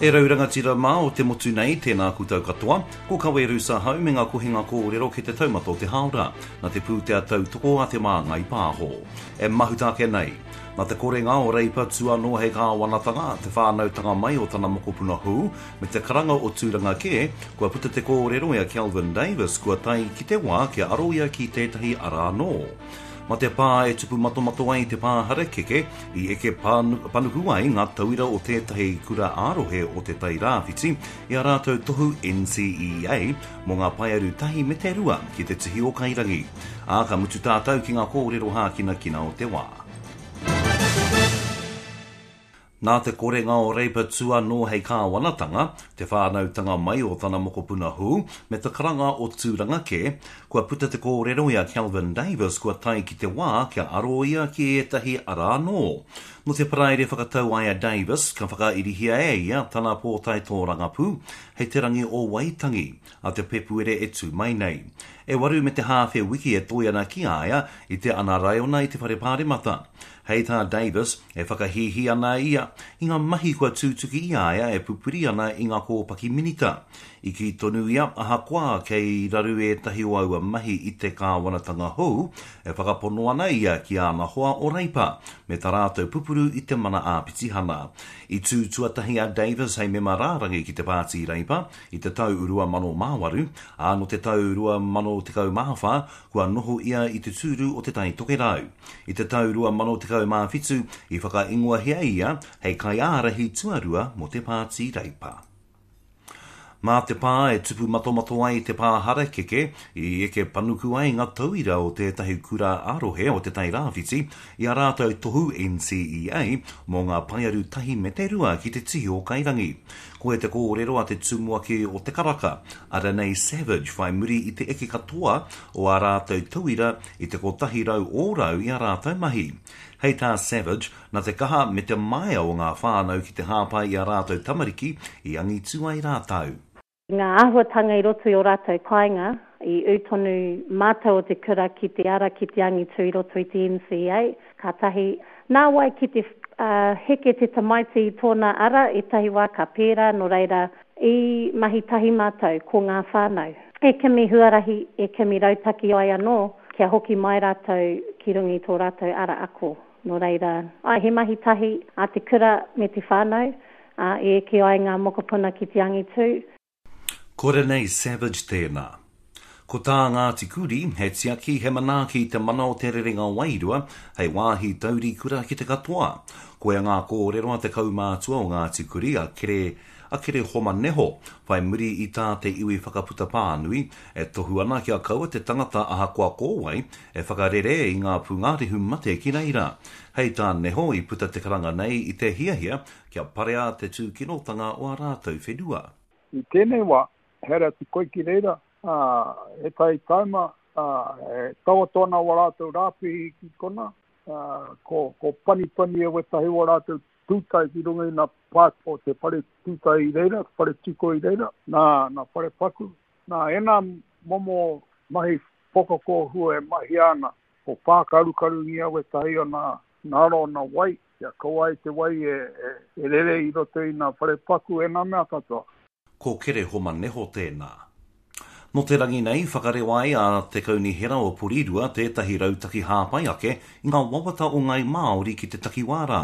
E rau rangatira mā o te motu nei, tēnā koutou katoa. Ko Kawe Rusa hau me ngā kohinga kōrero ki te taumata o te hāora, na te pūtea tautoko a Te Māngai Pāho. E mahuta ake nei. Na te korenga o Reipa tū anō hei kāwanatanga, te whānautanga mai o tana mokopuna hou, me te karanga o tūranga kē, kua puta te kōrero i a Kelvin Davis kua tae ki te wā kia aro ia ki tētahi ara anō. Ma te pā e tupu matomato ai te pā harakeke, i eke panuku ai ngā tauira o tētahi kura ā-rohe o Te Tai Rāwhiti i ā rātou tohu NCEA mō ngā paearu tahi me te rua ki te tihi o Kairangi. Ā, ka mutu tātou ki ngā kōrero hākinakina o te wā. Nā te korenga o Reipa tū anō hei kāwanatanga, te whānautanga mai o tana mokopuna hou, me te karanga o Tūranga kē, kua puta te kōrero i a Kelvin Davis kua tae ki te wā kia aro ia ki ētahi ara anō. Nō te Paraire whakatau ai a Davis, ka whakairihia e ia tana pōtae tōrangapū hei te rangi o Waitangi, a te Pepuere e tū mai nei. E waru me te hāwhe wiki e toe ana ki a ia i te ana raiona i te Whare Pāremata. Hei tā Davis, e whakahīhī ana ia i ngā mahi kua tūtuki i a ia e pupuri ana i ngā kōpaki minita. I kī tonu ia, ahakoa kei raru ētahi o aua mahi i te kāwanatanga hou, e whakapono ana ia ki āna hoa o Reipa, me tā rātou pupuru i te mana āpitihana. I tū tuatahi a Davis hei mema rārangi ki te Pāti Reipa i te tau 2008, ā, nō te tau 2014 kua noho ia i te tūru o Te Tai Tokerau. I te tau 2017, i whakaingoahia ia hei kaiārahi tuarua mō te Pāti Reipa. Mā te pā e tupu matomato ai te pā harakeke, i eke panuku ai ngā tauira o tētahi kura ā-rohe o Te Tai Rāwhiti i ā rātou tohu NCEA mō ngā paearu tahi me te rua ki te tihi o Kairangi. Koia te kōrero a te tumuaki o Te Karaka, a Renee Savage whai muri i te eke katoa o ā rātou tauira i te 100 ōrau i ā rātou mahi. Hei tā Savage, nā te kaha me te māia o ngā whānau ki te hāpai i ā rātou tamariki i angitu ai rātou. Ngā āhuatanga i roto i ō rātou kāinga, i ū tonu mātou o te kura ki te ara ki te angitu i roto i te NCEA, ka tahi, nāwai ki te heke te tamaiti i tōna ara, ētahi wā ka pērā, nō reira, I mahi tahi mātou ko ngā whānau. E kimi huarahi, e kimi rautaki ai anō kia hoki mai rātou ki runga i tō rātou ara ako. Nō reira, āe, he mahi tahi a te kura me te whānau, ā, e eke ai ngā mokopuna ki te angitū. Ko Renee Savage tēnā. Ko tā Ngāti Kuri, he tiaki, he manaaki i te mana o te rerenga wairua hei wāhi taurikura ki te katoa. Koia ngā kōrero a te kaumātua o Ngāti Kuri, a Kere, a Kerehoma Neho, whai muri i tā te iwi whakaputa pānui, e tohu ana kia kaua te tangata ahakoa ko wai, e whakarere i ngā pūngārehu mate ki reira. Hei tā Neho, i puta te karanga nei i te hiahia kia parea te tūkinotanga o ā rātou whenua. I tēnei wā, haere atu koe ki reira, ā, ētahi taima, ā, e taoto ana wā rātou rāpihi ki konā, ā, ko, ko panipani e wētahi wā rātou tūtai ki runga i nā pā o te whare tūtai i reira, te whare tiko i reira, nā, nā whare paku, nā ēnā momo mahi pokakōhua e mahia ana, ko pākarukarungia wētahi o nā, nā ro nā wai, kia kaua ai te wai e, e, e rere i roto i nā whare paku, ēnā mea katoa. Ko Kerehoma Neho tēnā. Nō te rangi nei, whakarewa ai a Te Kaunihera o Porirua tētahi rautaki hāpai ake i ngā wawata o ngāi Māori ki te takiwā rā.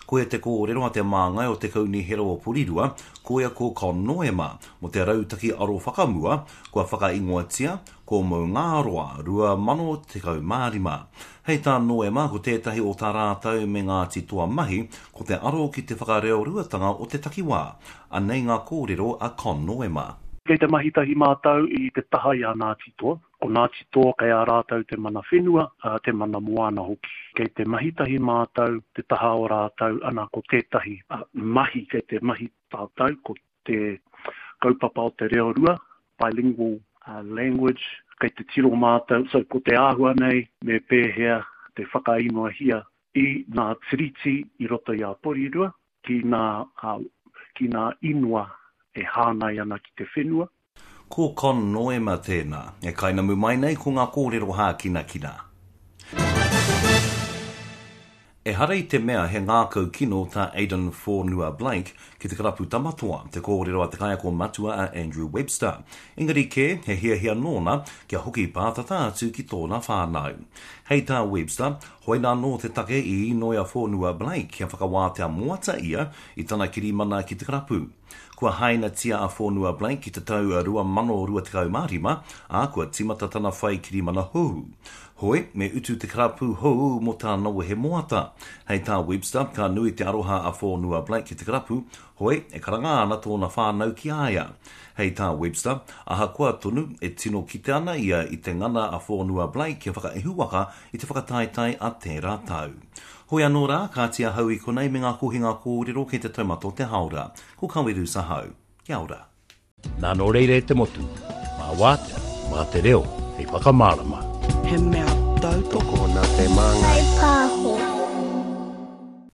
Koia te kōrero a te māngai o Te Kaunihera o Porirua, koia ko Con Noema, mō te rautaki aro whakamua, kua whakaingoatia, ko Maungāroa 2015. Hei tā Noema, ko tētahi o tā rātou me Ngāti Toa mahi, ko te aro ki te whakareoruatanga o te takiwā. Anei ngā kōrero a Con Noema. Kei te mahi tahi mātou i te taha i a Ngāti Toa. Ko Ngāti Toa kei a rātou te mana whenua, ā, te mana moana hoki. Kei te mahi tahi mātou te taha o rātou, ana ko tētahi mahi kei te mahi tātou ko te kaupapa o te reo rua, bilingual language, kei te tiro mātou, so ko te āhua nei me pēhea te whakaingoahia i ngā tiriti i roto i a Porirua ki ngā, ki ngā ingoa e hāngai ana ki te whenua. Ko Con Noema tēnā, e kainamu mai nei ko ngā kōrero hākinakina. Ehara i te mea he ngākau kino tā Aiden Fonua-Blake ki te karapu Tamatoa, te kōrero a te kaiako matua a Andrew Webster. Engari kē, he hiahia nōna kia hoki pātata atu ki tōna whānau. Hei tā Webster, hoina anō te take i inoi a Fonua-Blake kia whakawātea moata ia i tana kirimana ki te karapu. Kua hainatia a Fonua-Blake ki te tau 2025, ā, kua tīmata tana whai kirimana hou. Hoi, me utu te karapu hou mō tāna wehe moata. Hei tā Webster, ka nui te aroha a Fonua-Blake ki te karapu, hoi, e karanga ana tōna whānau ki a ia. Hei tā Webster, ahakoa tonu, e tino kite ana ia i te ngana a Fonua-Blake kia whakaehuwaka i te whakataetae a tērā tau. Hoi anō rā, kāti ahau i konei me ngā kohinga kōrero kei te taumata o te hāora. Ko Kaweru Sahau. Kia ora. Nā nō reira e te motu, mā wātea, mā te reo hei whakamārama. He mea tautoko. Tokona te māngai.